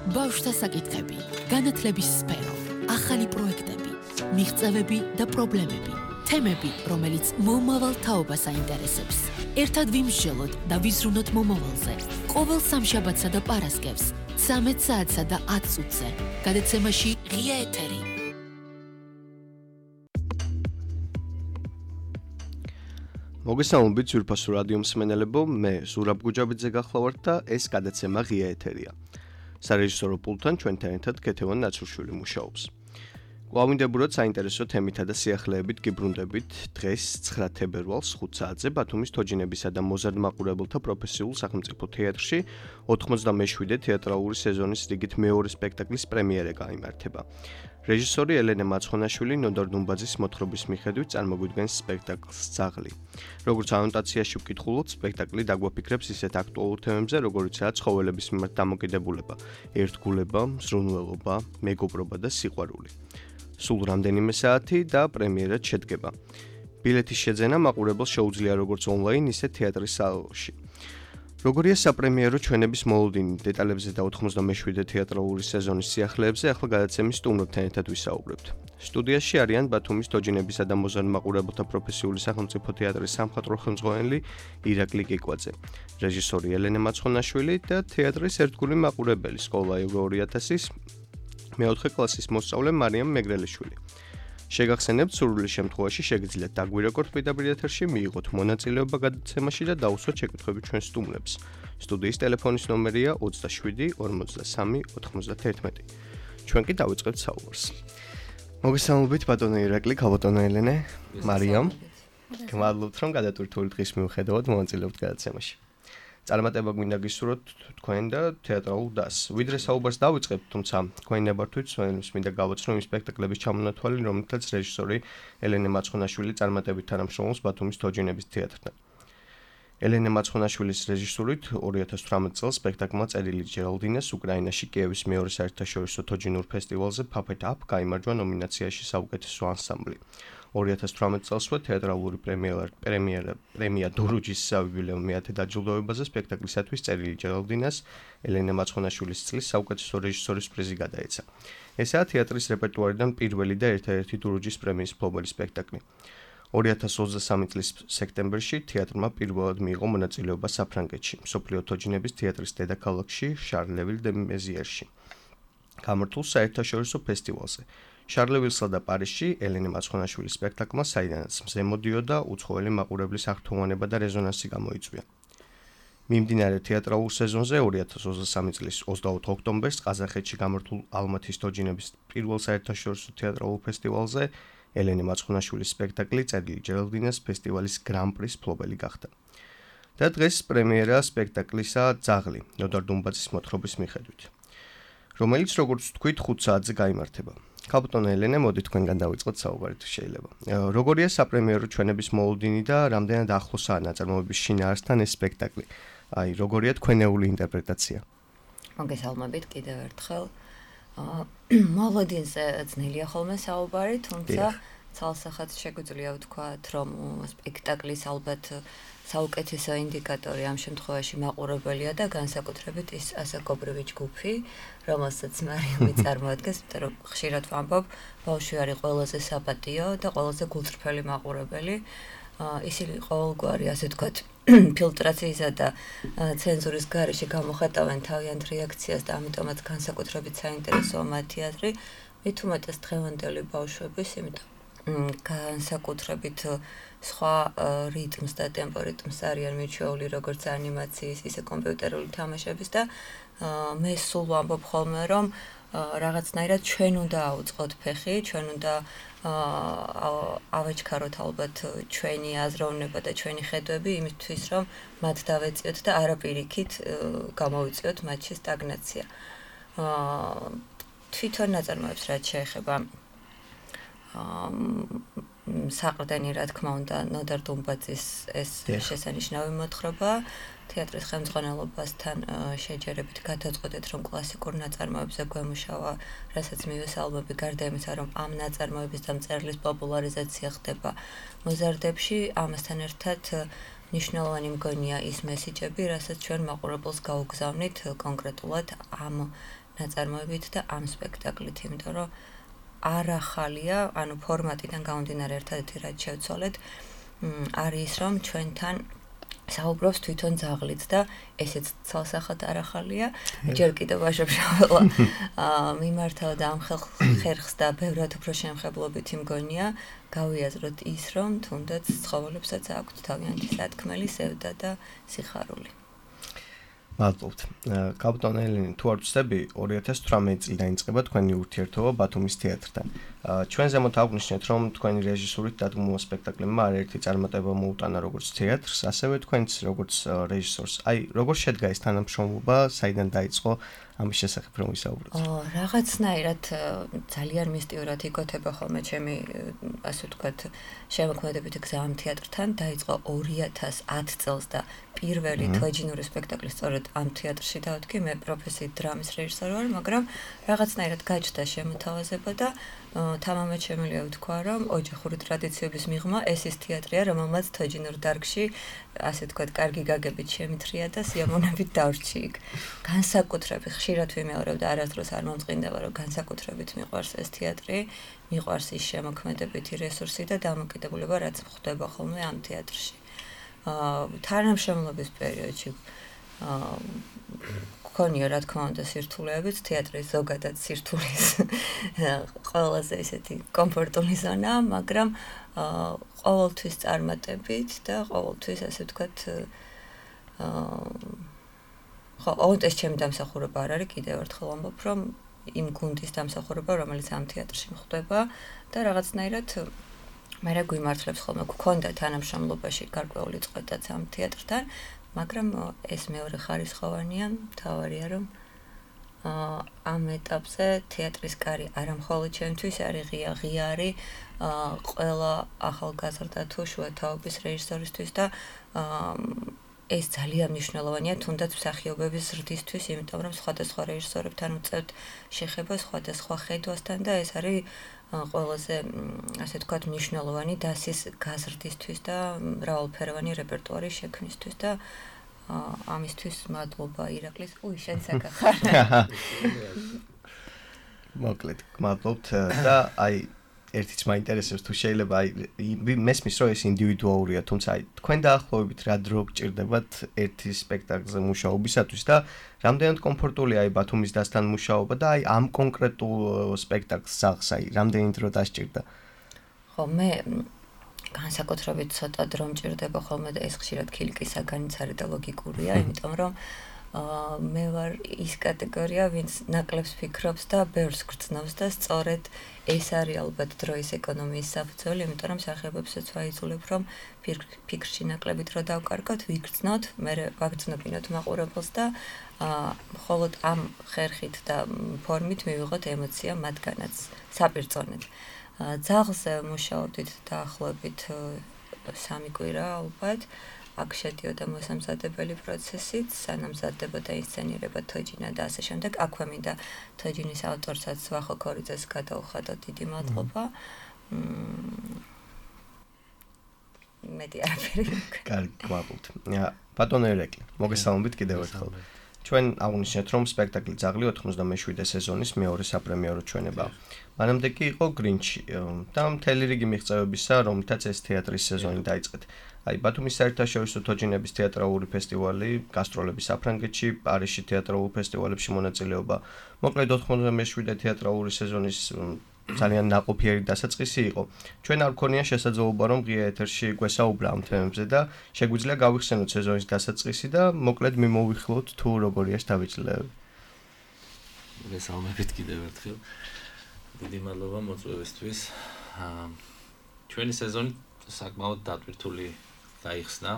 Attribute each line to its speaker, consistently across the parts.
Speaker 1: ბავშვთა საკითხები, განათლების სფერო, ახალი პროექტები, მიღწევები და პრობლემები, თემები, რომელიც მომავალ თაობას აინტერესებს. ერთად ვიმსჯელოთ და ვიზრუნოთ მომავალზე. ყოველ სამშაბათსა და პარასკევს, 13 საათსა და 10 წუთზე. გადაცემაში ღია ეთერი.
Speaker 2: მოგესალმებით ძვირფასო რადიო მსმენელებო, მე ზურაბ გუჯაბიძე გახლავართ და ეს გადაცემა ღია ეთერია. სარეჟისორო პულტთან ჩვენთან ერთად ქეთევან ნაცურშვილი მუშაობს. გვავინდებურად საინტერესო თემითა და სიახლეებით გიბრუნდებით დღეს 9 თებერვალს 5 საათზე ბათუმის თოჯინებისა და მოზარდ მაყურებელთა პროფესიულ სახელმწიფო თეატრში 97 თეატრალური სეზონის რიგით მეორე სპექტაკლის პრემიერა გაიმართება. რეჟისორი ელენე მაცხონაშვილი ნოდარ დუმბაძის მოთხრობის მიხედვით წარმოგვიდგენს სპექტაკლს ძაღლი. როგორც ანოტაციაში ვკითხულობთ, სპექტაკლი დაგვაფიქრებს ისეთ აქტუალურ თემებზე, როგორიცაა ცხოველების მიმართ დამოკიდებულება, ერთგულება, მზრუნველობა, მეგობრობა და სიყვარული. სულ რამდენიმე საათი და პრემიერად შედგება. ბილეთის შეძენა მაყურებელს შეუძლია როგორც ონლაინ, ისე თეატრის სალონში. როგორია საპრემიერო ჩვენების მოლოდინი, დეტალებზე და 97 თეატრალური სეზონის სიახლეებზე ახლა გადაცემის სტუმრებთან ერთად ვისაუბრებთ. სტუდიაში არიან ბათუმის თოჯინებისა და მოზარდ მაყურებელთა პროფესიული სახელმწიფო თეატრის სამხატვრო ხელმძღვანელი ირაკლი კიკვაძე, რეჟისორი ელენე მაცხონაშვილი და თეატრის ერთგული მაყურებელი სკოლა ევრო 2000-ის მეოთხე კლასის მოსწავლე მარიამ მეგრელიშვილი. შეგახსენებთ, სურვილის შემთხვევაში შეგიძლიათ დაგვირეკოთ პირდაპირ ეთერში, მიიღოთ მონაწილეობა გადაცემაში და დაუსვათ შეკითხვები ჩვენ სტუმრებს. სტუდიის ტელეფონის ნომერია 27 43 91. ჩვენ კი დავიწყებთ საუბარს. მოგესალმებით ბატონო ირაკლი, ქალბატონო ელენე, მარიამ. გმადლობთ, რომ გადატვირთული დღის მიუხედავად მონაწილეობთ გადაცემაში. წარმატება გვინდა გისურვოთ თქვენ და თეატრალურ დასს. ვიდრე საუბარს დავიწყებთ, თუმცა თქვენი ნებართვით მსმენელს მინდა გავაცნო იმ სპექტაკლების ჩამონათვალი, რომელთაც რეჟისორი ელენე მაცხონაშვილი წარმატებით თანამშრომლობს ბათუმის თოჯინების თეატრთან. ელენე მაცხონაშვილის რეჟისურით 2018 წელს სპექტაკლმა წერილი ჯერალდინას უკრაინაში კიევის მეორე საერთაშორისო თოჯინურ ფესტივალზე Puppet Up გაიმარჯვა ნომინაციაში საუკეთესო ანსამბლი. 2018 წელსვე თეატრალური პრემია დურუჯის საიუბილეო მეათე დაჯილდოებაზე სპექტაკლისათვის წერილი ჯერალდინას ელენე მაცხონაშვილის წლის საუკეთესო რეჟისორის პრიზი გადაეცა. ესაა თეატრის რეპერტუარიდან პირველი და ერთადერთი დურუჯის პრემიის მფლობელი სპექტაკლი. 2023 წლის სექტემბერში თეატრმა პირველად მიიღო მონაწილეობა საფრანგეთში, მსოფლიო თოჯინების თეატრის დედაქალაქში შარლევილ-დე-მეზიერში. გამართულ საერთაშორისო ფესტივალზე. შარლევილსა და პარიზში ელენე მაცხონაშვილის სპექტაკლმა საიდანაც მზე მოდიოდა უცხოელი მაყურებლის აღფრთოვანება და რეზონანსი გამოიწვია. მიმდინარე თეატრალურ სეზონზე 2023 წლის 24 ოქტომბერს ყაზახეთში გამართულ ალმათის თოჯინების პირველ საერთაშორისო თეატრალურ ფესტივალზე ელენე მაცხონაშვილის სპექტაკლი წერილი ჯერალდინას ფესტივალის გრან-პრის მფლობელი გახდა. და დღეს პრემიერა სპექტაკლისა ძაღლი ნოდარ დუმბაძის მოთხრობის მიხედვით, რომელიც როგორც თქვით 5 საათზე გაიმართება. ქალბატონო ელენე, მოდი თქვენგან დავიწყოთ საუბარი თუ შეიძლება. როგორია საპრემიერო ჩვენების მოლოდინი და რამდენად ახლოსაა ნაწარმოების შინაარსთან ეს სპექტაკლი? აი, როგორია თქვენეული ინტერპრეტაცია?
Speaker 3: მოგესალმებით კიდევ ერთხელ. მოლოდინზე ძნელია ხოლმე საუბარი, თუმცა ცალსახად შეგვიძლია ვთქვათ, რომ სპექტაკლის ალბათ საუკეთესო ინდიკატორი ამ შემთხვევაში მაყურებელია და განსაკუთრებით ის ასაკობრივი ჯგუფი, რომელსაც მარიამი წარმოადგენს, იმიტომ რომ ხშირად ვამბობ, ბავშვი არის ყველაზე საპატიო და ყველაზე გულწრფელი მაყურებელი. ისინი ყოველგვარი, ასე ვთქვათ, ფილტრაციისა და ცენზურის გარეშე გამოხატავენ თავიანთ რეაქციას და ამიტომაც განსაკუთრებით საინტერესოა მათ თეატრი, მით უმეტეს დღევანდელი ბავშვების, იმიტომ განსაკუთრებით სხვა რიტმს და ტემპორიტმს არიან მიჩვეული როგორც ანიმაციის, ისე კომპიუტერული თამაშების და მე სულ ვამბობ ხოლმე, რომ რაღაცნაირად ჩვენ უნდა ავუწყოთ ფეხი, ჩვენ უნდა ავაჩქაროთ ალბათ ჩვენი აზროვნება და ჩვენი ხედვები იმისთვის, რომ მათ დავეწიოთ და არაპირიქით გამოვიწიოთ მათში სტაგნაცია. თვითონ ნაწარმოებს რაც შეეხება საყრდენი, რა თქმა უნდა, ნოდარ დუმბაძის ეს შესანიშნავი მოთხრობა თეატრის ხელმძღვანელობასთან შეჯერებით გადაწყვეტეთ, რომ კლასიკურ ნაწარმოებზე გვემუშავა, რასაც მივესალმები, გარდა იმისა, რომ ამ ნაწარმოების და მწერლის პოპულარიზაცია ხდება მოზარდებში, ამასთან ერთად ნიშნულოვანი მგონია ის მესიჯები, რასაც ჩვენ მაყურებელს გაუგზავნით კონკრეტულად ამ ნაწარმოებით და ამ სპექტაკლით, იმიტომ რომ არ ახალია, ანუ ფორმატიდან გამომდინარე ერთადერთი რაც შევცვალეთ, არის რომ ჩვენთან საუბრობს თვითონ ძაღლიც და ესეც ცალსახად არ ახალია. ჯერ კიდევ ვაჟებშაველა მიმართავდა ამ ხერხს და ბევრად უფრო შემხებლობითი მგონია, გავიაზროთ ის, რომ თუნდაც ცხოველებსაც აქვთ თავიანთი სათქმელი, სევდა და სიხარული.
Speaker 2: მადლობთ. კაპიტან ელინი, თუ არ ვცდები, 2018 წლიდან იწყება თქვენი ურთიერთობა ბათუმის თეატრთან. ჩვენ ზემოთ აღვნიშნეთ, რომ თქვენი რეჟისურით დადგმულმა სპექტაკლებმა არაერთი წარმატება მოუტანა როგორც თეატრს, ასევე თქვენც როგორც რეჟისორს. აი, როგორ შედგა ეს თანამშრომლობა, საიდან დაიწყო ამის შესახებ რომ ვისაუბროთ?
Speaker 3: რაღაცნაირად ძალიან მისტიურად იკოთება ხოლმე ჩემი, ასე ვთქვათ, შემოქმედებითი გზა ამ თეატრთან. დაიწყო 2010 წელს და პირველი თვეჯინური სპექტაკლი სწორედ ამ თეატრში დავთქი. მე პროფესიით დრამის რეჟისორი ვარ, მაგრამ რაღაცნაირად გაჩნდა შემოთავაზება და თამამად შემიძლია ვთქვა, რომ ოჯახური ტრადიციების მიღმა ეს ის თეატრია, რომელმაც თვეჯინურ დარგში, ასე ვთქვათ, კარგი გაგებით შემithრია და სიამოვნებით დავრჩი იქ. განსაკუთრებით ხშირად ვიმეორებ და არასდროს არ მომწყინდება, რომ განსაკუთრებით მიყვარს ეს თეატრი, მიყვარს ის შემოქმედებითი რესურსი და დამოკიდებულება, რაც ხდება ხოლმე ამ თეატრში. თანამშრომლობის პერიოდში გქონია რა თქმა უნდა სირთულეებიც, თეატრის ზოგადად სირთულის ყველაზე ისეთი კომფორტული ზონა, მაგრამ ყოველთვის წარმატებით და ყოველთვის ასე ვთქვათ ხო, ოღონდ ეს ჩემი დამსახურება არ არის, კიდევ ერთხელ ვამბობ, რომ იმ გუნდის დამსახურება, რომელიც ამ თეატრში ხდება და რაღაცნაირად მე გვიმართლებს ხოლმე გქონდა თანამშრომლობაში გარკვეული წყვეტაც ამ თეატრთან, მაგრამ ეს მეორე ხარისხოვანია, მთავარია რომ ამ ეტაპზე თეატრის კარი არა მხოლოდ ჩემთვის არის ღია არის ყველა ახალგაზრდა თუ შუათაობის რეჟისორისთვის და ეს ძალიან მნიშვნელოვანია თუნდაც მსახიობების ზრდისთვის, იმიტომ რომ სხვადასხვა რეჟისორებთან უწევთ შეხება სხვადასხვა ხედვასთან და ეს არის ყველაზე ასე ვთქვათ მნიშვნელოვანი დასის გაზრდისთვის და მრავალფეროვანი რეპერტუარის შექმნისთვის და ამისთვის მადლობა ირაკლის. შენ საკახარ.
Speaker 2: მოკლედ, მადლობთ და აი ერთიც მაინტერესებს თუ შეიძლება აი მესმის რომ ეს ინდივიდუალურია, თუმცა აი თქვენ დაახლოებით რა დრო გჭირდებათ ერთი სპექტაკლზე მუშაობისათვის და რამდენად კომფორტულია აი ბათუმის დასთან მუშაობა და აი ამ კონკრეტულ სპექტაკლს სახს აი რამდენი დრო დასჭირდა?
Speaker 3: ხო, მე განსაკუთრებით ცოტა დრო მჭირდება ხოლმე და ეს ხშირად ქილიკისაგანიც არის და ლოგიკურია, იმიტომ რომ მე ვარ ის კატეგორია, ვინც ნაკლებს ფიქრობს და ბევრს გრძნობს და სწორედ ეს არის ალბათ დროის ეკონომიის საფუძველი, იმიტომ რომ მსახიობებსაც ვაიძულებ, რომ ფიქრში ნაკლები დრო დავკარგოთ, ვიგრძნოთ, მერე ვაგრძნობინოთ მაყურებელს და მხოლოდ ამ ხერხით და ფორმით მივიღოთ ემოცია მათგანაც საპირწონედ. ძაღლზე მუშაობდით დაახლოებით 3 კვირა ალბათ. აქ შედიოდა მოსამზადებელი პროცესით, სანამ მზადდებოდა ინსცენირება თოჯინა და ასე შემდეგ. აქვე მინდა თოჯინის ავტორსაც ვახო ქორიძეს გადაუხადოთ დიდი მადლობა. მეტი არაფერი.
Speaker 2: კარგი, მადლობთ. ბატონო ერეკლი, მოგესალმებით კიდევ ერთხელ. ჩვენ აღვნიშნეთ, რომ სპექტაკლი ძაღლი 97 სეზონის მეორე საპრემიერო ჩვენებაა. მანამდე კი იყო გრინჩი და მთელი რიგი მიღწევებისა, რომლითაც ეს თეატრის სეზონი დაიწყეთ. აი ბათუმის საერთაშორისო თოჯინების თეატრალური ფესტივალი, გასტროლები საფრანგეთში, პარიზში თეატრალურ ფესტივალებში მონაწილეობა. მოკლედ 97 თეატრალური სეზონის ძალიან ნაყოფიერი დასაწყისი იყო. ჩვენ არ გქონია შესაძლებლობა რომ ღია ეთერში გვესაუბრა ამ თემებზე და შეგვიძლია გავიხსენოთ სეზონის დასაწყისი და მოკლედ მიმოვიხილოთ თუ როგორია შთაბეჭდილებები.
Speaker 4: მოგესალმებით კიდევ ერთხელ. დიდი მადლობა მოწვევისთვის. ჩვენი სეზონი საკმაოდ დატვირთული დაიხსნა.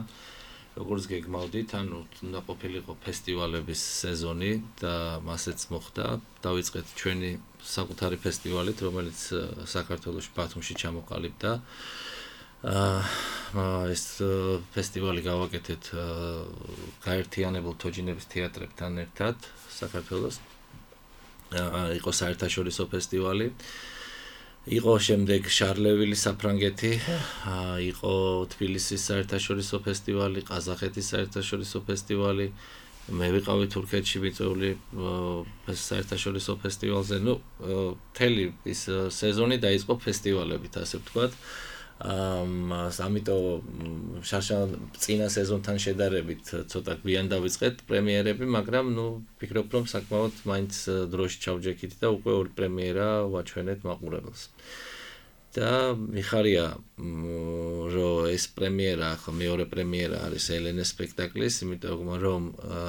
Speaker 4: როგორც გეგმავდით, ანუ უნდა ყოფილიყო ფესტივალების სეზონი და მასეც მოხდა. დავიწყეთ ჩვენი საკუთარი ფესტივალით, რომელიც საქართველოში ბათუმში ჩამოყალიბდა. ეს ფესტივალი გავაკეთეთ გაერთიანებულ თოჯინების თეატრებთან ერთად საქართველოს. იყო საერთაშორისო ფესტივალი. იყო შემდეგ შარლევილის საფრანგეთი, იყო თბილისის საერთაშორისო ფესტივალი, ყაზახეთის საერთაშორისო ფესტივალი, მე ვიყავი თურქეთში მიწვეული საერთაშორისო ფესტივალზე, მთელი ის სეზონი დაიწყო ფესტივალებით, ასე ვთქვათ. ამიტომ წინა სეზონთან შედარებით ცოტა გვიან დავიწყეთ პრემიერები, მაგრამ ვფიქრობ, რომ საკმაოდ მაინც დროში ჩავჯექით და უკვე ორი პრემიერა ვაჩვენეთ მაყურებელს. და მიხარია, რომ ეს პრემიერა, ახლა მეორე პრემიერა არის ელენეს სპექტაკლის, იმიტომ რომ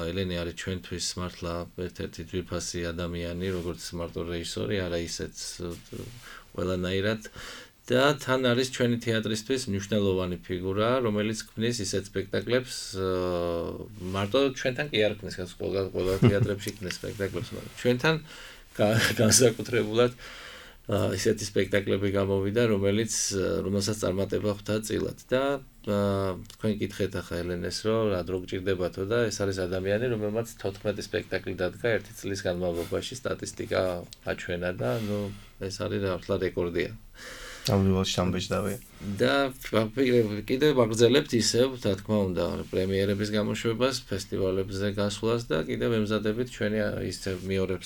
Speaker 4: ელენე არის ჩვენთვის მართლა ერთ-ერთი ძვირფასი ადამიანი, როგორც მარტო რეჟისორი, არა ისეც ყველანაირად. და თან არის ჩვენი თეატრისთვის მნიშვნელოვანი ფიგურა, რომელიც ქმნის ისეთ სპექტაკლებს, მარტო ჩვენთან კი არ ქმნის, ყველა თეატრებში ქმნის სპექტაკლებს, მაგრამ ჩვენთან განსაკუთრებულად ისეთი სპექტაკლები გამოვიდა, რომელსაც წარმატება ხვდა წილად და თქვენ გითხეთ ახლა ელენეს, რომ რა დრო გჭირდებათო და ეს არის ადამიანი, რომელმაც 14 სპექტაკლი დადგა ერთი წლის განმავლობაში, სტატისტიკა აჩვენა და ეს არის რა რეკორდია.
Speaker 2: ამბობ შამბეჭდავე.
Speaker 4: და კიდევ ვაგრძელებთ ისევ, რა თქმა უნდა, პრემიერების გამოშვებას, ფესტივალებზე გასვლას და კიდევ ემზადებით ჩვენი ისე მეორე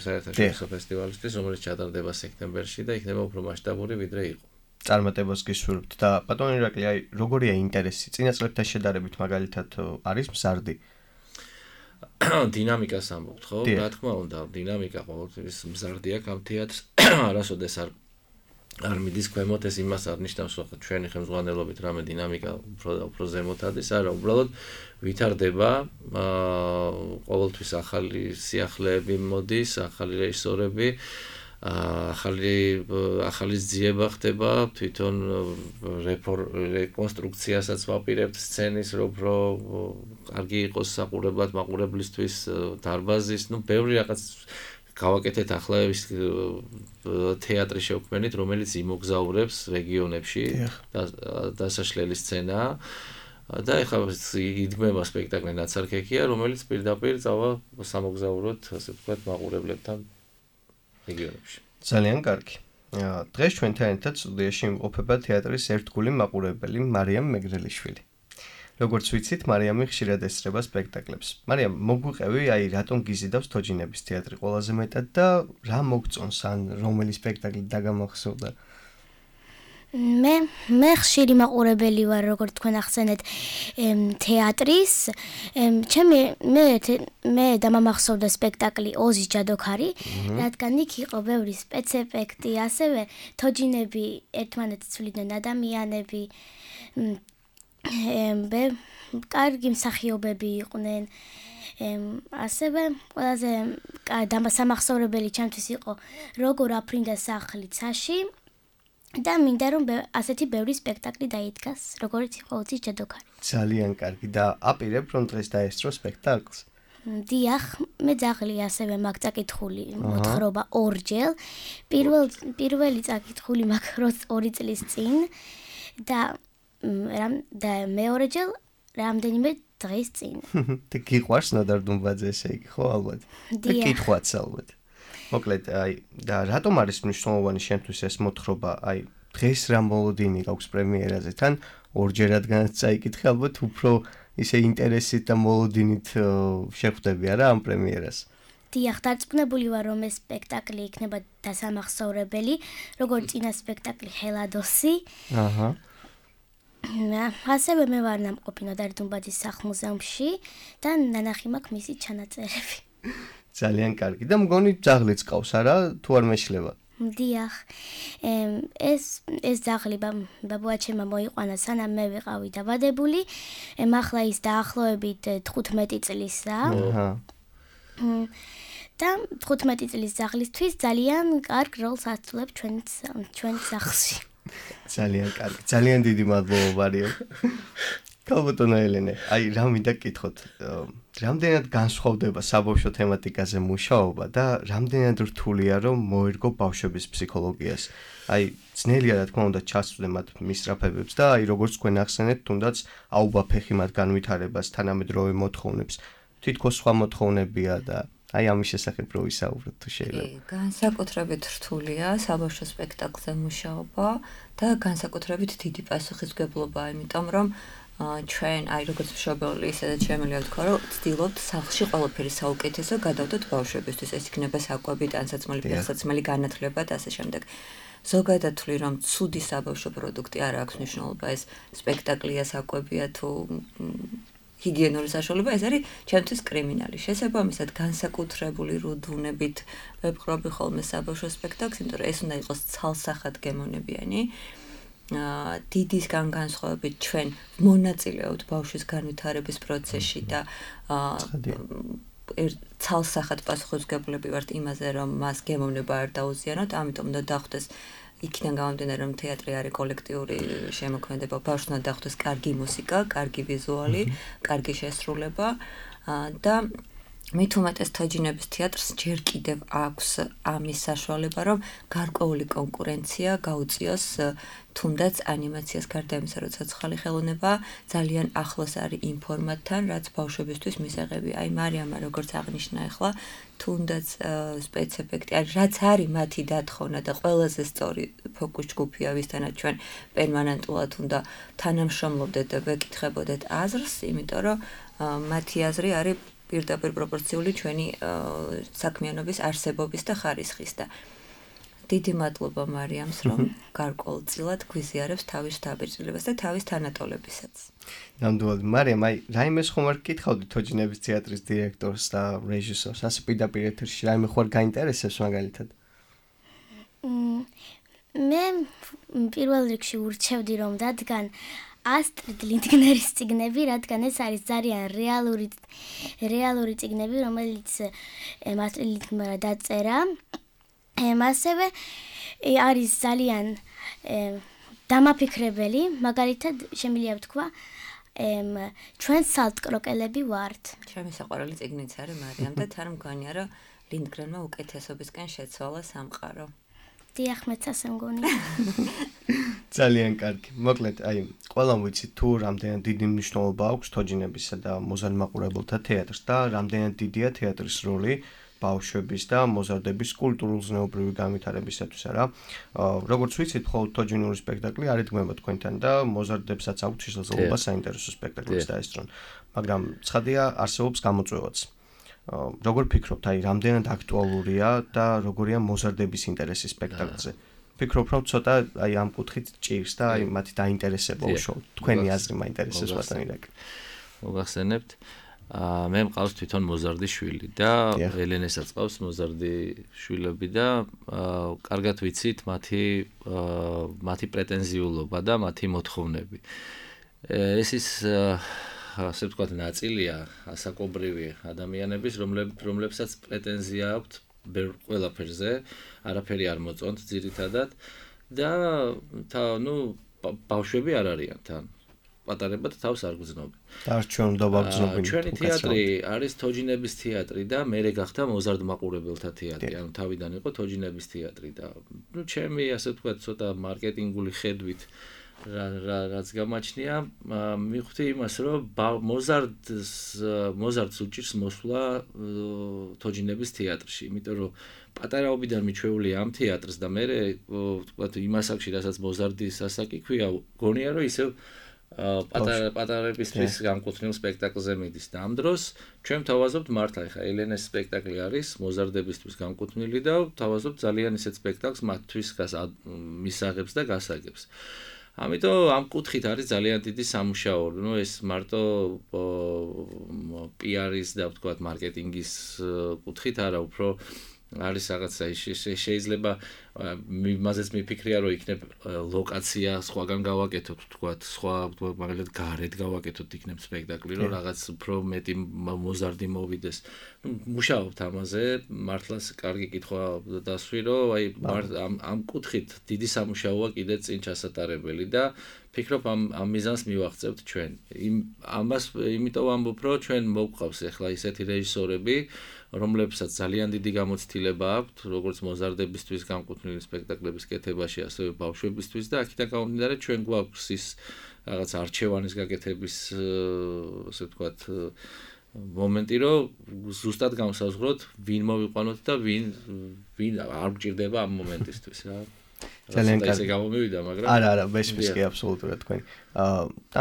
Speaker 4: საერთაშორისო ფესტივალისთვის, რომელიც ჩატარდება სექტემბერში და იქნება უფრო მასშტაბური, ვიდრე იყო.
Speaker 2: წარმატებას გისურვებთ და ბატონო ირაკლი, როგორია ინტერესი? წინა წლებთან შედარებით მაგალითად არის მზარდი?
Speaker 4: დინამიკას ამბობთ, ხო? რა თქმა უნდა, დინამიკა ყოველთვის მზარდია ამ თეატრს, არასოდეს არ მიდის ქვემოთ, ეს იმას არნიშნავს, რომ ჩვენი ხელმძღვანელობით რამე დინამიკა უფრო ზემოთ ადის, არა, უბრალოდ ვითარდება, ყოველთვის ახალი სიახლეები მოდის, ახალი რეჟისორები, ახალი ძიება ხდება, თვითონ რეკონსტრუქციასაც ვაპირებთ სცენის, რომ უფრო კარგი იყოს საყურებლად მაყურებლისთვის დარბაზის, ბევრი რაღაც გავაკეთეთ ახლა ის თეატრი შევქმნით, რომელიც იმოგზაურებს რეგიონებში დასაშლელი სცენაა და ეხლა იდგმება სპექტაკლი ნაცარქექია, რომელიც პირდაპირ წავა სამოგზაუროდ, ასე ვთქვათ, მაყურებლებთან რეგიონებში.
Speaker 2: ძალიან კარგი. დღეს ჩვენთან ერთად სტუდიაში იმყოფება თეატრის ერთგული მაყურებელი მარიამ მეგრელიშვილი. როგორც ვიცით, მარიამი ხშირად ესწრება სპექტაკლებს. მარიამ, მოგვიყევი, რატომ გიზიდავს თოჯინების თეატრი ყველაზე მეტად და რა მოგწონს, ან რომელი სპექტაკლი დაგამახსოვდა?
Speaker 5: მე ხშირი მაყურებელი ვარ, როგორც თქვენ ახსენეთ, თეატრის. მე დამამახსოვდა სპექტაკლი ოზის ჯადოქარი, რადგან იქ იყო ბევრი სპეცეფექტი, ასევე თოჯინები ერთმანეთს ცვლიდნენ ადამიანები. კარგი მსახიობები იყვნენ. ასევე ყველაზე დამასამახსოვრებელი ჩემთვის იყო როგორ აფრინდა სახლი ცაში და მინდა რომ ასეთი ბევრი სპექტაკლი დაიდგას, როგორც იყო ოცის ჯადოქარი.
Speaker 2: ძალიან კარგი და აპირებ რომ დღეს დაესწრო სპექტაკლს.
Speaker 5: დიახ, მე ძაღლი ასევე მაქვს წაკითხული მოთხრობა ორჯერ. პირველი წაკითხული მაქვს 2 წლის წინ და მეორეჯერ რამდენიმე დღის წინ.
Speaker 2: და გიყვარს ნოდარ დუმბაძე, ესე იგი, ხო ალბათ? და კითხვაც ალბათ. მოკლედ, და რატომ არის მნიშვნელოვანი შენთვის ეს მოთხრობა? დღეს რა მოლოდინი გაქვს პრემიერაზე? თან ორჯერადგანაც წაიკითხე, ალბათ უფრო ისე ინტერესით და მოლოდინით შეხვდები არა ამ პრემიერას?
Speaker 5: დიახ, დარწმუნებული ვარ, რომ ეს სპექტაკლი იქნება დასამახსოვრებელი, როგორც წინა სპექტაკლი ჰელადოსი. აჰა. ასევე მე ვარ ნამყოფი ნოდარ დუმბაძის სახლ-მუზეუმში და ნანახი მაქვს მისი ჩანაწერები.
Speaker 2: ძალიან კარგი და მგონი ძაღლიც ყავს არა თუ არ მეშლება?
Speaker 5: დიახ. ეს ძაღლი ბაბუაჩემმა მოიყვანა სანამ მე ვიყავი დაბადებული. ახლა ის დაახლოებით 15 წლისაა. აჰა. და 15 წლის ძაღლისთვის ძალიან კარგ როლს ასრულებს ჩვენ სახლში.
Speaker 2: ძალიან კარგი. ძალიან დიდი მადლობა მარიამ. ქალბატონო ელენე, რა მინდა გკითხოთ. რამდენად განსხვავდება საბავშვო თემატიკაზე მუშაობა და რამდენად რთულია რომ მოერგო ბავშვების ფსიქოლოგიას? ძნელია რა თქმა უნდა ჩასწვდე მათ მისწრაფებებს და როგორც თქვენ ახსენეთ, თუნდაც აუბაფეხი მათ განვითარებას, თანამედროვე მოთხოვნებს. თითქოს სხვა მოთხოვნებია და ამის შესახებ რო ვისაუბროთ თუ შეიძლება.
Speaker 3: განსაკუთრებით რთულია საბავშვო სპექტაკლზე მუშაობა და განსაკუთრებით დიდი პასუხისმგებლობა, იმიტომ რომ ჩვენ აი როგორც მშობელი ისედაც შემიძლია ვთქვა რომ ვცდილობთ სახლში ყველაფერი საუკეთესო გადავდოთ ბავშვებისთვის ეს იქნება საკვები, ტანსაცმელი, ფეხსაცმელი, განათლება და ასე შემდეგ. ზოგადად თვლი რომ ცუდი საბავშვო პროდუქტი არ აქვს მნიშვნელობა ეს სპექტაკლია, საკვებია თუ ჰიგიენური საშუალება ეს არის ჩემთვის კრიმინალი. შესაბამისად განსაკუთრებული რუდუნებით ვეპყრობი ხოლმე საბავშვო სპექტაკლს, იმიტომ რომ ეს უნდა იყოს ცალსახად გემოვნებიანი. დიდისგან განსხვავებით ჩვენ მონაწილეობთ ბავშვის განვითარების პროცესში და ცალსახად პასუხისმგებლები ვართ იმაზე რომ მას გემოვნება არ დაუზიანოთ, ამიტომ უნდა დახვდეს იქიდან გამომდინარე რომ თეატრი არის კოლექტიური შემოქმედება, ბავშვს უნდა დახვდეს კარგი მუსიკა, კარგი ვიზუალი, კარგი შესრულება და მით უმეტეს თოჯინების თეატრს ჯერ კიდევ აქვს ამის საშუალება რომ გარკვეული კონკურენცია გაუწიოს თუნდაც ანიმაციას გარდა იმისა, რომ ცოცხალი ხელოვნება ძალიან ახლოს არის იმ ფორმატთან, რაც ბავშვებისთვის მისაღები. აი მარიამა როგორც აღნიშნა ახლა, თუნდაც სპეცეფექტი, რაც არის მათი დათხოვნა და ყველაზე სწორი ფოკუს ჯგუფია, ვისთანაც ჩვენ პერმანენტულად უნდა თანამშრომლობდეთ და ვეკითხებოდეთ აზრს, იმიტომ რომ მათი აზრი არის პირდაპირ პროპორციული ჩვენი საქმიანობის არსებობის და ხარისხის და დიდი მადლობა მარიამს რომ გარკვეულწილად გვიზიარებს თავის დაბეჭდილებას და თავის თანატოლებისაც.
Speaker 2: ნამდვილად მარიამ, აი რაიმეს ხომ არ გკითხავდი თოჯინების თეატრის დირექტორს და რეჟისორს, ასე პირდაპირ ეთერში რაიმე ხوار გაინტერესებს მაგალითად?
Speaker 5: მე პირველ რიგში ურჩევდი რომ რადგან ასტრიდ ლინდგნერის წიგნები, რადგან ეს არის ძალიან რეალური წიგნები, რომელიც ასტრიდ ლინდგნერმა დაწერა. ასევე არის ძალიან დამაფიქრებელი, მაგალითად შემიძლია ვთქვა, ჩვენ სალტკროკელები ვართ.
Speaker 3: ჩემი საყვარელი წიგნიც არის მარიამ და თან მგონია რომ ლინდგრენმა უკეთესობისკენ შეცვალა სამყარო.
Speaker 5: დიახ, მეც ასე მგონია.
Speaker 2: ძალიან კარგი. მოკლედ, აი, ყველამ ვიცით თუ რამდენად დიდი მნიშვნელობა აქვს თოჯინებისა და მოზარდ-მაყურებელთა თეატრს და რამდენად დიდია თეატრის როლი ბავშვების და მოზარდების კულტურულ ზნეობრივი განვითარებისათვის, არა? როგორც ვიცით, მხოლოდ თოჯინური სპექტაკლი არ იდგმება თქვენთან და მოზარდებსაც აქვთ შესაძლებლობა საინტერესო სპექტაკლებს დაესწრონ. მაგრამ ცხადია, არსებობს გამოწვევაც. როგორ ფიქრობთ, აი, რამდენად აქტუალურია და როგორია მოზარდების ინტერესი სპექტაკლზე? ფიქრობ, რომ ცოტა აი ამ კუთხით ჭირს და აი მათი დაინტერესება უშუალოდ. თქვენი აზრი მაინტერესებს ბატონო ირაკლი.
Speaker 4: მოგახსენებთ. მე მყავს თვითონ მოზარდის შვილი და ელენესაც ყავს მოზარდი შვილები და კარგად ვიცით მათი პრეტენზიულობა და მათი მოთხოვნები. ეს ის ასე ვთქვათ ნაწილია ასაკობრივი ადამიანების, რომლებსაც პრეტენზია აქვთ ყველაფერზე, არაფერი არ მოწონთ ძირითადად და ბავშვები არ არიან თან. პატარებად თავს არ გრძნობენ.
Speaker 2: და ჩვენ უნდა ვაგრძნობინოთ.
Speaker 4: ჩვენი თეატრი არის თოჯინების თეატრი და მერე გახდა მოზარდ-მაყურებელთა თეატრი. ანუ თავიდან იყო თოჯინების თეატრი და ჩემი ასე ვთქვათ ცოტა მარკეტინგული ხედვით რაც გამაჩნია, მივხვდი იმას, რომ მოზარდს უჭირს მოსვლა თოჯინების თეატრში, იმიტომ რომ პატარაობიდან მიჩვეული ამ თეატრს და მერე ვთქვათ იმ ასაკში, რასაც მოზარდის ასაკი ქვია, გონია რომ ისევ პატარებისთვის განკუთვნილ სპექტაკლზე მიდის და ამ დროს ჩვენ თავაზობთ მართლა ხა ელენეს სპექტაკლი არის მოზარდებისთვის განკუთვნილი და თავაზობთ ძალიან ისეთ სპექტაკლს მათთვის მისაღებს და გასაგებს. ამიტომ ამ კუთხით არის ძალიან დიდი სამუშაო. ეს მარტო პიარის და ვთქვათ მარკეტინგის კუთხით არა, უფრო არის რაღაცა შეიძლება იმაზეც მიფიქრია რომ იქნებ ლოკაცია სხვაგან გავაკეთოთ ვთქვათ სხვა მაგალითად გარეთ გავაკეთოთ იქნებ სპექტაკლი რომ რაღაც უფრო მეტი მოზარდი მოვიდეს მუშაობთ ამაზე მართლაც კარგი კითხვა დასვი რომ აი ამ კუთხით დიდი სამუშაოა კიდე წინ ჩასატარებელი და ფიქრობ ამ მიზანს მივაღწევთ ჩვენ ამას იმიტომ ვამბობ რომ ჩვენ მოგყავს ახლა ისეთი რეჟისორები რომლებსაც ძალიან დიდი გამოცდილება აქვთ, როგორც მოზარდებისთვის განკუთვნილი სპექტაკლების კეთებაში, ასევე ბავშვებისთვის და აქედან გამომდინარე ჩვენ გვაქვს ის რაღაც არჩევანის გაკეთების, ასე ვთქვათ, მომენტი, რომ ზუსტად გავსაზღვროთ, ვინ მოვიყვანოთ და ვინ არ გვჭირდება ამ მომენტისთვის რა.
Speaker 2: ძალიან
Speaker 4: კარგი. ესე გამომივიდა, მაგრამ
Speaker 2: არა, მესმის კი აბსოლუტურად თქვენი.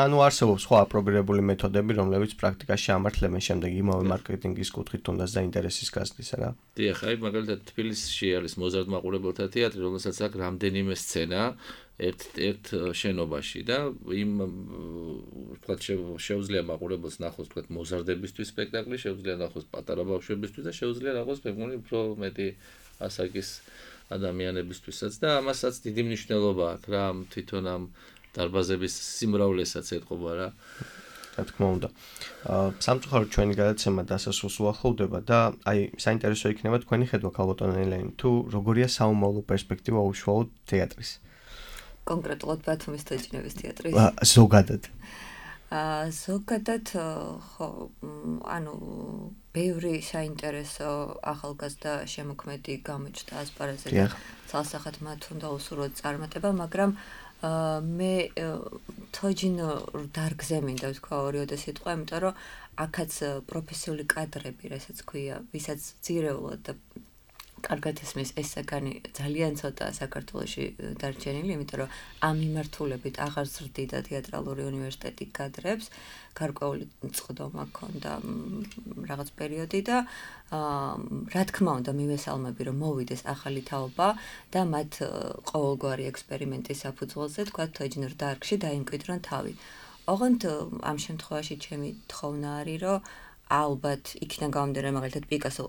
Speaker 2: ანუ არსებობს სხვა აპრობირებული მეთოდები, რომლებიც პრაქტიკაში ამართლებენ შემდეგ იმავე მარკეტინგის კუთხით თუნდაც და ინტერესის გაზრდის რა.
Speaker 4: დიახ, აი მაგალითად თბილისში არის მოზარდ მაყურებელთა თეატრი, რომელსაც აქვს რამდენიმე სცენა ერთ შენობაში და იმ ვთქვათ შეუძლია მაყურებელს ნახოს ვთქვათ მოზარდებისთვის სპექტაკლი, შეუძლია ნახოს პატარა ბავშვებისთვის და შეუძლია ნახოს მეგონი უფრო მეტი ასაკის ადამიანებისთვისაც და ამასაც დიდი მნიშვნელობა აქვს რა თვითონ ამ დარბაზების სიმრავლესაც ეთყობა რა.
Speaker 2: რა თქმა უნდა. სამწუხაროდ ჩვენი გადაცემა დასასრულს უახლოვდება და აი საინტერესო იქნება თქვენი ხედვა ქალბატონი ელენე თუ როგორია საომავლო პერსპექტივა უშუალოდ თეატრის.
Speaker 3: კონკრეტულად ბათუმის თოჯინების თეატრის.
Speaker 2: ზოგადად.
Speaker 3: ზოგადად ხო ანუ ბევრი საინტერესო ახალგაზრდა შემოქმედი გამოჩნდა ასპარეზზე და ცალსახად მათ უნდა უსურვოთ წარმატება, მაგრამ მე თოჯინ დარგზე მინდა ვთქვა ორიოდე სიტყვა, იმიტომ რომ აქაც პროფესიული კადრები, რასაც ქვია, ვისაც ძირეულად და კარგად ისმის ეს საგანი ძალიან ცოტა საქართველოში დარჩენილი, იმიტომ რომ ამ მიმართულებით აღარ ზრდიდა თეატრალური უნივერსიტეტი კადრებს, გარკვეული წყდომა ჰქონდა რაღაც პერიოდი და რა თქმა უნდა მივესალმები რომ მოვიდეს ახალი თაობა და მათ ყოველგვარი ექსპერიმენტის საფუძველზე თქვა თოჯინურ დარგში დაიმკვიდრონ თავი. ოღონდ ამ შემთხვევაში ჩემი თხოვნა არის რომ ალბათ იქიდან გამომდინარე მაგალითად პიკასო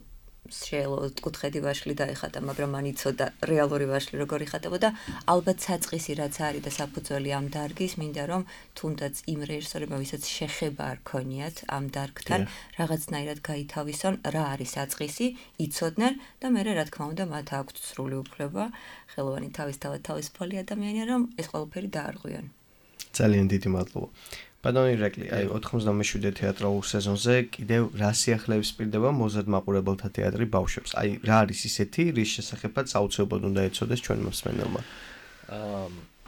Speaker 3: შეიძლება კუთხედი ვაშლი დაიხატა, მაგრამ მან იცოდა რეალური ვაშლი როგორ იხატებოდა. ალბათ საწყისი რაც არის და საფუძველი ამ დარგის, მინდა რომ თუნდაც იმ რეჟისორებმა, ვისაც შეხება არ ქონიათ ამ დარგთან, რაღაცნაირად გაითავისონ რა არის საწყისი, იცოდნენ და მე რა თქმა უნდა მათ აქვთ სრული უფლება, ხელოვანი თავისთავად თავისუფალი ადამიანია, რომ ეს ყველაფერი დაარღვიონ.
Speaker 2: ძალიან დიდი მადლობა. ბატონი ირაკლი, აი 97 თეატრალურ სეზონზე კიდევ რა სიახლეებს პირდება მოზარდ მაყურებელთა თეატრი ბავშვებს? აი რა არის ისეთი, რის შესახებაც აუცილებლად უნდა ეცოდეს ჩვენ მსმენელმა?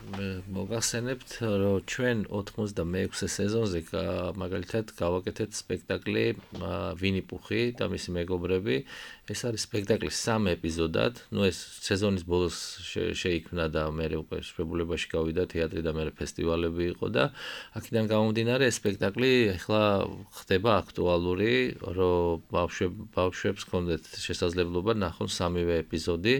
Speaker 4: მოგახსენებთ, რომ ჩვენ 96 სეზონზე მაგალითად გავაკეთეთ სპექტაკლი ვინი-პუხი და მისი მეგობრები. ეს არის სპექტაკლი 3 ეპიზოდად. ნუ ეს სეზონის ბოლოს შეიქმნა და მე უკვე შეებულებაში გავიდა თეატრი და მე ფესტივალები იყო და აქედან გამომდინარე ეს სპექტაკლი ახლა ხდება აქტუალური, რომ ბავშვებს ჰქონდეთ შესაძლებლობა ნახონ 3-ვე ეპიზოდი.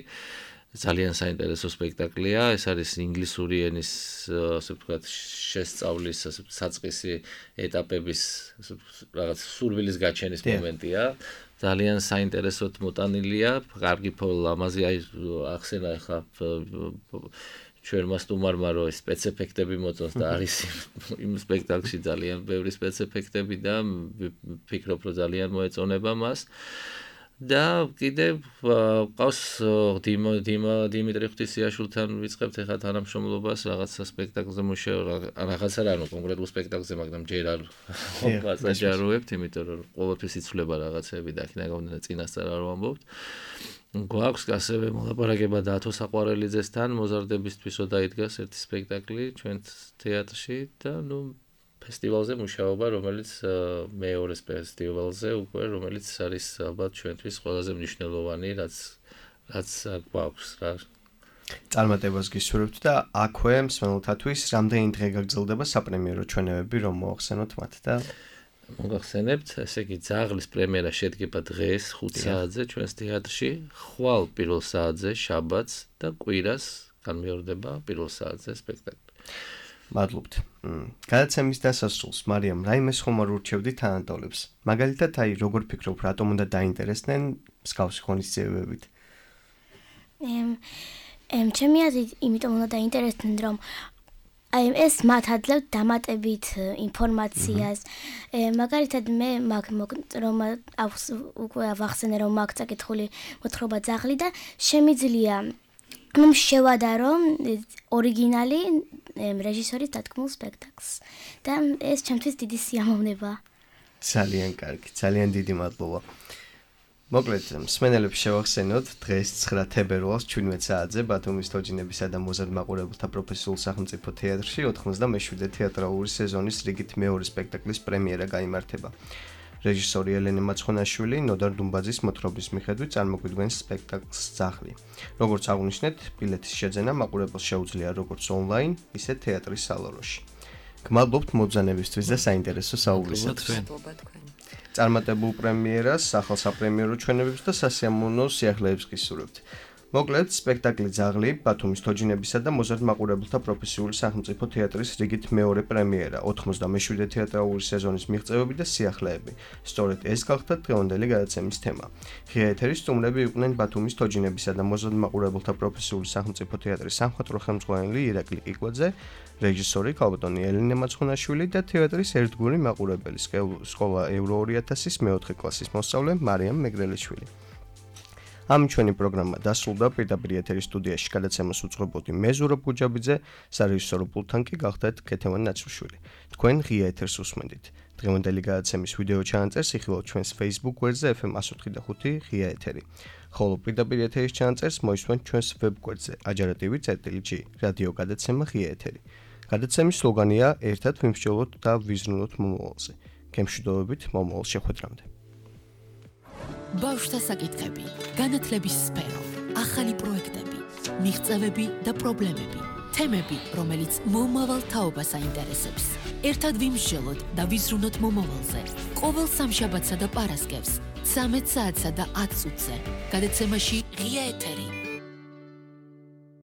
Speaker 4: ძალიან საინტერესო სპექტაკლია, ეს არის ინგლისური ენის, ასე ვთქვათ, შესწავლის საწყისი ეტაპების რაღაც სურვილის გაჩენის მომენტია. ძალიან საინტერესოდ მოტანილია, კარგი ლამაზი ახსენა ახლა ჩვენმა სტუმარმა რომ სპეცეფექტები მოწონს და არის იმ სპექტაკლში ძალიან ბევრი სპეცეფექტები და ვფიქრობ რომ ძალიან მოეწონება მას. და კიდევ ყავს დიმიტრი ღვთისიაშვილთან ვიწყებთ ახლა თანამშრომლობას რაღაცა სპექტაკლზე რაღაცა რა ანუ კონკრეტულ სპექტაკლზე, მაგრამ ჯერ არ ვაწაჯაროებთ, იმიტომ რომ ყოველთვის იცვლება რაღაცები და აქედან გამომდინარე წინასწარ არ ვამბობთ. გვაქვს ასევე მოლაპარაკება დათო საყვარელიძესთან, მოზარდებისთვისო დაიდგას ერთი სპექტაკლი ჩვენ თეატრში და ნუ ფესტივალზე მუშაობა, რომელიც მეორე ფესტივალზე უკვე, რომელიც არის ალბათ ჩვენთვის ყველაზე მნიშვნელოვანი, რაც გვაქვს რა.
Speaker 2: წარმატებას გისურვებთ და აქვე მსმენელთათვის რამდენი დღე გაგრძელდება საპრემიერო ჩვენებები, რომ მოახსენოთ მათ და
Speaker 4: მოგახსენებთ, ესე იგი ძაღლის პრემიერა შედგება დღეს 5 საათზე ჩვენს თეატრში, ხვალ პირველ საათზე შაბათს და კვირას განმეორდება პირველ საათზე სპექტაკლი.
Speaker 2: მადლობთ. გადაცემის დასასრულს მარიამ რაიმეს ხომ არ ურჩევდი თანატოლებს. მაგალითად, აი როგორ ფიქრობ, რატომ უნდა დაინტერესდნენ მსგავსი ღონისძიებებით?
Speaker 5: ჩემი აზრით, იმიტომ უნდა დაინტერესდნენ, რომ აი ეს მათ ადლებთ დამატებით ინფორმაციას. მაგალითად მე რომ უკვე ავახსენე რომ მაგ წაკითხული მოთხრობა ძაღლი და შემიძლია შევადარო ორიგინალი რეჟისორის დათქმულ სპექტაკლს და ეს ჩემთვის დიდი სიამოვნებაა.
Speaker 2: ძალიან კარგი, ძალიან დიდი მადლობა. მოკლედ, მსმენელებს შევახსენოთ დღეს 9 თებერვალს 17 საათზე ბათუმის თოჯინებისა და მოზარდ მაყურებელთა პროფესიულ სახელმწიფო თეატრში 97 თეატრალური სეზონის რიგით მეორე სპექტაკლის პრემიერა გაიმართება. რეჟისორი ელენე მაცხონაშვილი ნოდარ დუმბაძის მოთხრობის მიხედვით წარმოგვიდგენს სპექტაკლს ძაღლი. როგორც აღვნიშნეთ, ბილეთის შეძენა მაყურებელს შეუძლია როგორც ონლაინ, ისე თეატრის სალონში. გმადლობთ მობრძანებისთვის და საინტერესო საუბრისათვის. წარმატებულ პრემიერას, ახალ საპრემიერო ჩვენებებს და სასიამოვნო სიახლეებს გისურვებთ. მოკლედ, სპექტაკლი ძაღლი ბათუმის თოჯინებისა და მოზარდ მაყურებელთა პროფესიული სახელმწიფო თეატრის რიგით მეორე პრემიერა 97 თეატრალური სეზონის მიღწევები და სიახლეები. სწორედ ეს გახდა დღევანდელი გადაცემის თემა. ღია ეთერის სტუმრები იყვნენ ბათუმის თოჯინებისა და მოზარდ მაყურებელთა პროფესიული სახელმწიფო თეატრის სამხატვრო ხელმძღვანელი ირაკლი კიკვაძე, რეჟისორი ქალბატონი ელენე მაცხონაშვილი და თეატრის ერთგული მაყურებელი სკოლა ევრო 2000-ის მეოთხე კლასის მოსწავლე მარიამ მეგრელიშვილი. ამ ჩვენი პროგრამა დასრულდა. პირდაპირ ეთერის სტუდიაში გადაცემას უძღვებოდი მე ზურაბ გუჯაბიძე, სარეჟისორო პულტთან კი გახდათ ქეთევან ნაცრუშვილი. თქვენ ღია ეთერს უსმენდით. დღევანდელი გადაცემის ვიდეო ჩანაწერს იხილავთ ჩვენს Facebook გვერდზე FM105 ღია ეთერი. ხოლო პირდაპირ ეთერის ჩანაწერს მოისმენთ ჩვენს ვებ გვერდზე ajarativi.g რადიო გადაცემა ღია ეთერი. გადაცემის სლოგანია ერთად ვიმსჯელოთ და ვიზრუნოთ მომავალზე. გემშვიდობებით მომავალ შეხვედრამდე.
Speaker 1: ბავშვთა საკითხები, განათლების სფერო, ახალი პროექტები, მიღწევები და პრობლემები, თემები, რომელიც მომავალ თაობას აინტერესებს. ერთად ვიმსჯელოთ და ვიზრუნოთ მომავალზე. ყოველ სამშაბათსა და პარასკევს 13 საათსა და 10 წუთზე. გადაცემაში ღია ეთერი.